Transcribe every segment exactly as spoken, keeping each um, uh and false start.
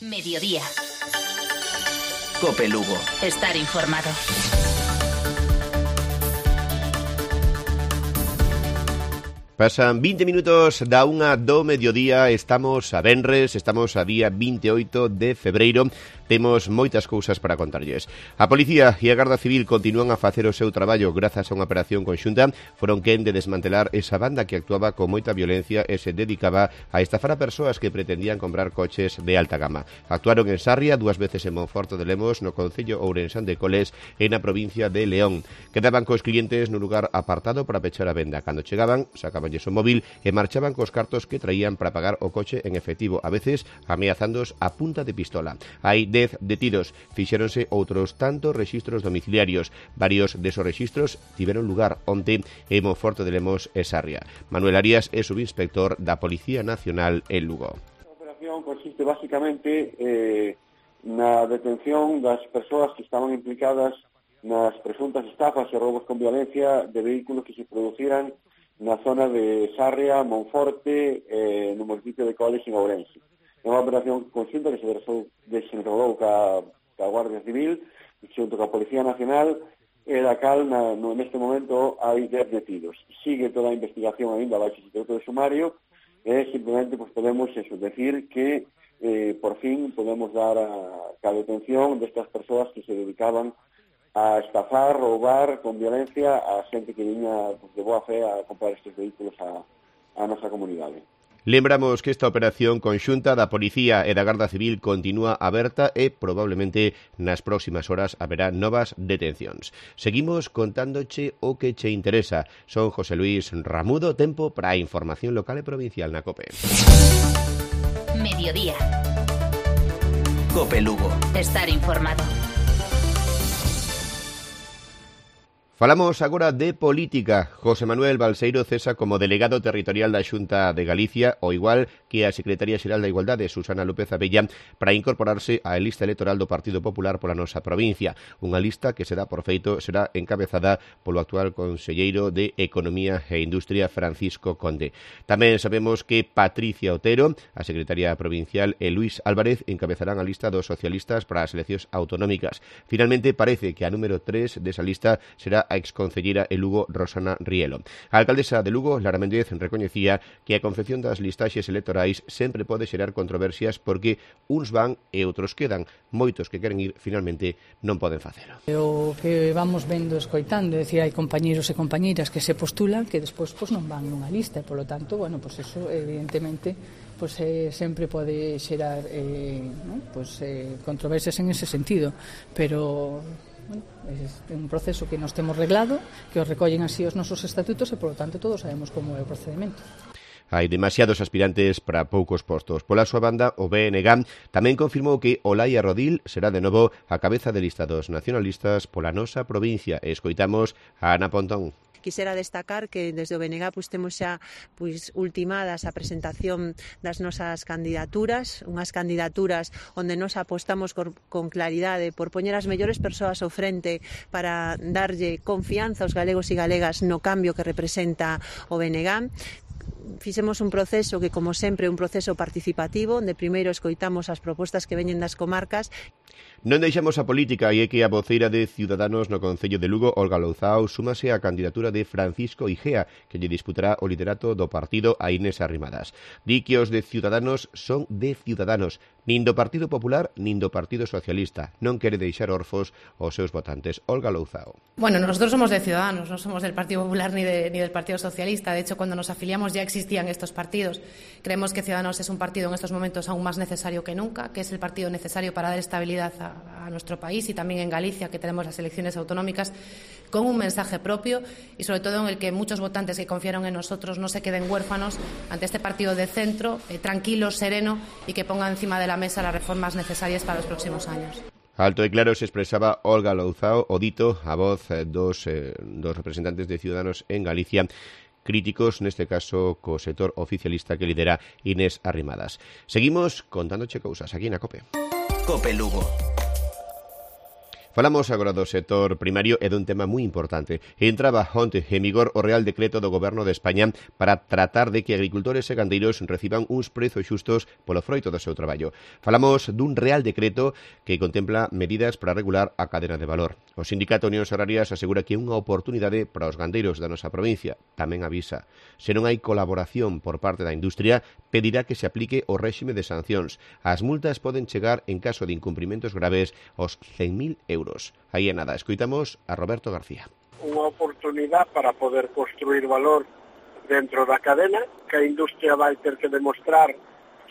Mediodía. Cope Lugo. Estar informado. Pasan vinte minutos da unha do mediodía, estamos a venres, estamos a día veintioito de febreiro, temos moitas cousas para contarlles. A Policía e a Garda Civil continúan a facer o seu traballo grazas a unha operación conxunta, foron quen de desmantelar esa banda que actuaba con moita violencia e se dedicaba a estafar a persoas que pretendían comprar coches de alta gama. Actuaron en Sarria, dúas veces en Monforte de Lemos, no concello ourensán de Coles e na provincia de León. Quedaban cos clientes nun lugar apartado para pechar a venda. Cando chegaban, sacaban o móvil e marchaban cos cartos que traían para pagar o coche en efectivo, a veces ameazándoos a punta de pistola. Hai dez detidos, fixéronse outros tantos rexistros domiciliarios. Varios desos rexistros tiveron lugar onte en Monforte de Lemos e Sarria. Manuel Arias é subinspector da Policía Nacional en Lugo. A operación consiste basicamente eh, na detención das persoas que estaban implicadas nas presuntas estafas e roubos con violencia de vehículos que se produciran na zona de Sarria, Monforte, eh, no municipio de Coles en Ourense. É unha operación conxunta que se desenrolou ca, ca Guardia Civil xunto ca Policía Nacional e da cal na, no, neste momento hai dez detidos. Sigue toda a investigación ainda baixo secreto de sumario e simplemente pues, podemos eso, decir que eh, por fin podemos dar a, a detención destas persoas que se dedicaban a estafar, roubar con violencia a xente que viña pues, de boa fe a comprar estes vehículos a, a nosa comunidade. Lembramos que esta operación conxunta da Policía e da Garda Civil continúa aberta e probablemente nas próximas horas haberá novas detencións. Seguimos contándoche o que che interesa. Son José Luis Ramudo, tempo para a información local e provincial na COPE. Mediodía. Cope Lugo. Estar informado. Falamos agora de política. José Manuel Balseiro cesa como delegado territorial da Xunta de Galicia, ao igual que a Secretaría Xeral da Igualdade, Susana López Abella, para incorporarse á lista electoral do Partido Popular pola nosa provincia. Unha lista que se dá por feito será encabezada polo actual conselleiro de Economía e Industria, Francisco Conde. Tamén sabemos que Patricia Otero, a secretaria provincial, e Luís Álvarez encabezarán a lista dos socialistas para as eleccións autonómicas. Finalmente, parece que a número tres desa lista será a exconcelleira e Lugo Rosana Rielo. A alcaldesa de Lugo, Lara Méndez, recoñecía que a confección das listaxes electorais sempre pode xerar controversias porque uns van e outros quedan. Moitos que queren ir, finalmente, non poden facelo. O que vamos vendo, escoitando, é dicir, hai compañeros e compañeiras que se postulan que despois pues, non van nunha lista, e, polo tanto, bueno, pues eso, evidentemente, pues, eh, sempre pode xerar eh, ¿no? pues, eh, controversias en ese sentido, pero bueno, é un proceso que nos temos reglado, que os recollen así os nosos estatutos e, polo tanto, todos sabemos como é o procedimento. Hai demasiados aspirantes para poucos postos. Pola súa banda, o B N G tamén confirmou que Olaia Rodil será de novo a cabeza de lista dos nacionalistas pola nosa provincia. E escoitamos a Ana Pontón. Quisera destacar que desde o B N G pues, temos xa pues, ultimadas a presentación das nosas candidaturas, unhas candidaturas onde nos apostamos con, con claridade por poñer as mellores persoas ao frente para darlle confianza aos galegos e galegas no cambio que representa o B N G. Fixemos un proceso que, como sempre, é un proceso participativo, onde primeiro escoitamos as propostas que veñen das comarcas. Non deixamos a política e é que a voceira de Ciudadanos no Concello de Lugo, Olga Louzao, súmase á candidatura de Francisco Igea, que lle disputará o liderato do partido a Inés Arrimadas. Di que os de Ciudadanos son de Ciudadanos, nin do Partido Popular nin do Partido Socialista. Non quere deixar orfos aos seus votantes. Olga Louzao. Bueno, nosotros somos de Ciudadanos, non somos del Partido Popular ni, de, ni del Partido Socialista. De hecho, cuando nos afiliamos ya existían estos partidos. Creemos que Ciudadanos es un partido en estos momentos aún más necesario que nunca, que es el partido necesario para dar estabilidad a a nuestro país y también en Galicia, que tenemos las elecciones autonómicas, con un mensaje propio y sobre todo en el que muchos votantes que confiaron en nosotros no se queden huérfanos ante este partido de centro, eh, tranquilo, sereno y que ponga encima de la mesa las reformas necesarias para los próximos años. Alto e claro se expresaba Olga Louzao, o dito a voz eh, dos, eh, dos representantes de Ciudadanos en Galicia, críticos, neste caso, co sector oficialista que lidera Inés Arrimadas. Seguimos contándoche cousas aquí na COPE. Cope Lugo. Falamos agora do sector primario e dun tema moi importante. Entraba onte en vigor o Real Decreto do Goberno de España para tratar de que agricultores e gandeiros reciban uns prezos xustos polo froito do seu traballo. Falamos dun Real Decreto que contempla medidas para regular a cadena de valor. O Sindicato Unións Agrarias asegura que é unha oportunidade para os gandeiros da nosa provincia. Tamén avisa, se non hai colaboración por parte da industria, pedirá que se aplique o réxime de sancións. As multas poden chegar en caso de incumprimentos graves aos cen mil euros. Aí é nada, escoitamos a Roberto García. Unha oportunidade para poder construir valor dentro da cadena, que a industria vai ter que demostrar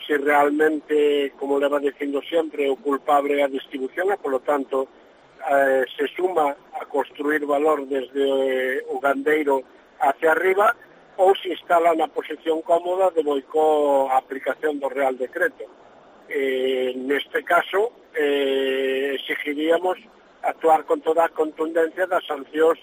se realmente, como leva dicindo sempre, o culpable é a distribución e, polo tanto, eh, se suma a construir valor desde eh, o gandeiro hacia arriba ou se instala na posición cómoda de boicó a aplicación do Real Decreto. Eh, neste caso, eh, exigiríamos actuar con toda a contundencia das sancións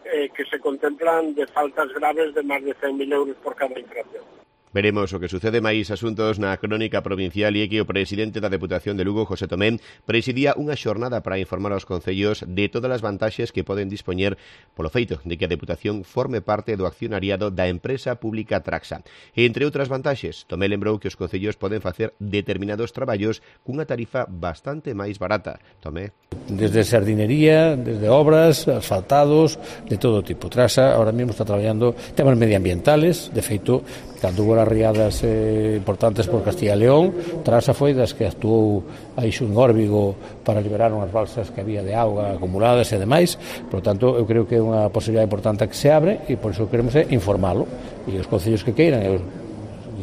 eh, que se contemplan de faltas graves de máis de cen mil euros por cada infracción. Veremos o que sucede. Máis asuntos na crónica provincial e que o presidente da Deputación de Lugo, José Tomé, presidía unha xornada para informar aos concellos de todas as vantaxes que poden dispoñer polo feito de que a Deputación forme parte do accionariado da empresa pública Traxa. E, entre outras vantaxes, Tomé lembrou que os concellos poden facer determinados traballos cunha tarifa bastante máis barata. Tomé. Desde sardinería, desde obras, asfaltados, de todo tipo. Traxa ahora mesmo está traballando temas medioambientales, de feito, cando hubo as riadas eh, importantes por Castilla e León, Traxa foi das que actuou aí xun Órbigo para liberar unhas balsas que había de auga acumuladas e demais. Por tanto, eu creo que é unha posibilidade importante que se abre e por iso queremos é informálo. E os concellos que queiran, eu,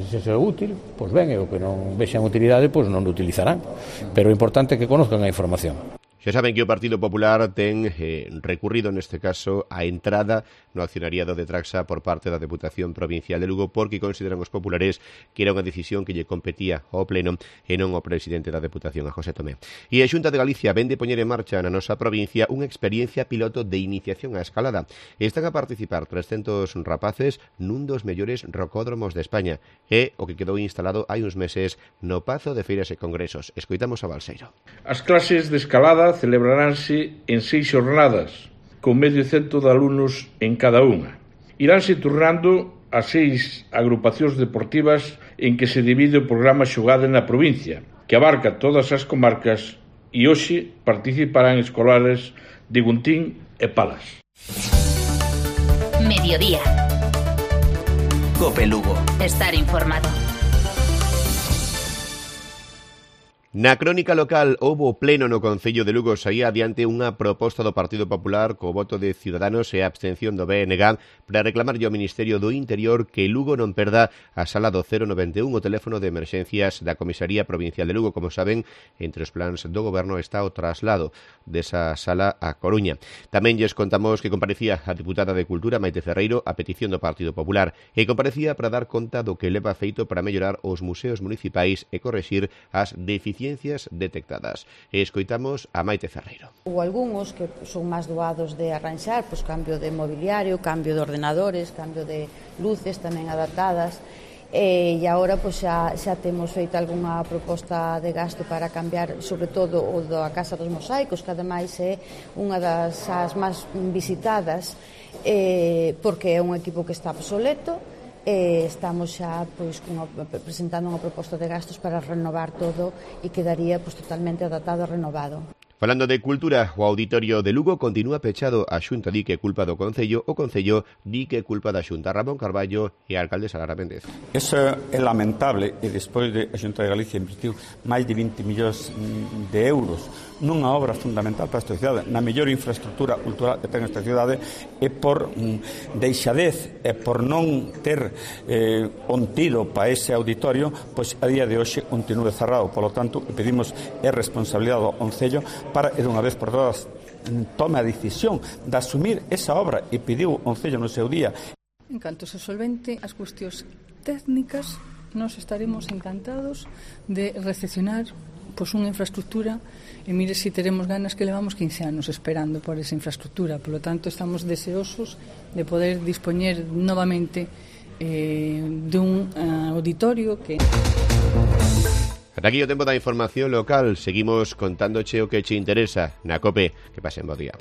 se é útil, pois ben, e o que non vexan utilidade, pois non o utilizarán. Pero é importante que conozcan a información. Xa saben que o Partido Popular ten eh, recurrido neste caso a entrada no accionariado de Traxa por parte da Deputación Provincial de Lugo porque consideran os populares que era unha decisión que lle competía ao Pleno e non ao presidente da Deputación, a José Tomé. E a Xunta de Galicia vende poñer en marcha na nosa provincia unha experiencia piloto de iniciación á escalada. Están a participar trescentos rapaces nun dos mellores rocódromos de España e o que quedou instalado hai uns meses no Pazo de Feiras e Congresos. Escoitamos a Balseiro. As clases de escalada celebraránse en seis xornadas, con medio cento de alumnos en cada unha. Iránse turnando a seis agrupacións deportivas en que se divide o programa xogado na provincia, que abarca todas as comarcas e hoxe participarán escolares de Guntín e Palas. Mediodía. Cope Lugo. Estar informado. Na crónica local houbo pleno no Concello de Lugo, saía adiante unha proposta do Partido Popular co voto de Ciudadanos e a abstención do B N G para reclamarlle ao Ministerio do Interior que Lugo non perda a sala do cero noventa e un, o teléfono de emerxencias da Comisaría Provincial de Lugo. Como saben, entre os plans do Goberno está o traslado desa sala a Coruña. Tamén lles contamos que comparecía a diputada de Cultura, Maite Ferreiro, a petición do Partido Popular, e comparecía para dar conta do que leva feito para mellorar os museos municipais e correxir as deficiencias detectadas. E escoitamos a Maite Ferreiro. Ou algúns que son máis doados de arranxar, pois cambio de mobiliario, cambio de ordenadores, cambio de luces tamén adaptadas. E, e agora pois, xa, xa temos feito algunha proposta de gasto para cambiar, sobre todo o da Casa dos Mosaicos, que ademais é unha das as máis visitadas, eh, porque é un equipo que está obsoleto. E estamos xa pois, cunha, presentando unha proposta de gastos para renovar todo e quedaría pois, totalmente adaptado e renovado. Falando de cultura, o Auditorio de Lugo continúa pechado. A Xunta di que é culpa do Concello, o Concello di que é culpa da Xunta. Ramón Carballo e a alcalde Lara Méndez. Eso é lamentable e despois de a Xunta de Galicia invertiu máis de vinte millóns de euros nunha obra fundamental para esta cidade, na mellor infraestructura cultural que ten esta cidade, e por mm, deixadez e por non ter eh, ontido para ese auditorio, pois a día de hoxe continúe cerrado. Por lo tanto, pedimos é responsabilidade do Concello para, de unha vez por todas, tome a decisión de asumir esa obra e pediu o Concello no seu día. En canto se solvente as cuestións técnicas, nos estaremos encantados de recepcionar pois unha infraestructura e mire se si teremos ganas que levamos quince anos esperando por esa infraestructura. Por lo tanto, estamos deseosos de poder dispoñer novamente eh, de un uh, auditorio que... Ata aquí o tempo da información local. Seguimos contándoche o que che interesa na COPE. Que pasen bo día.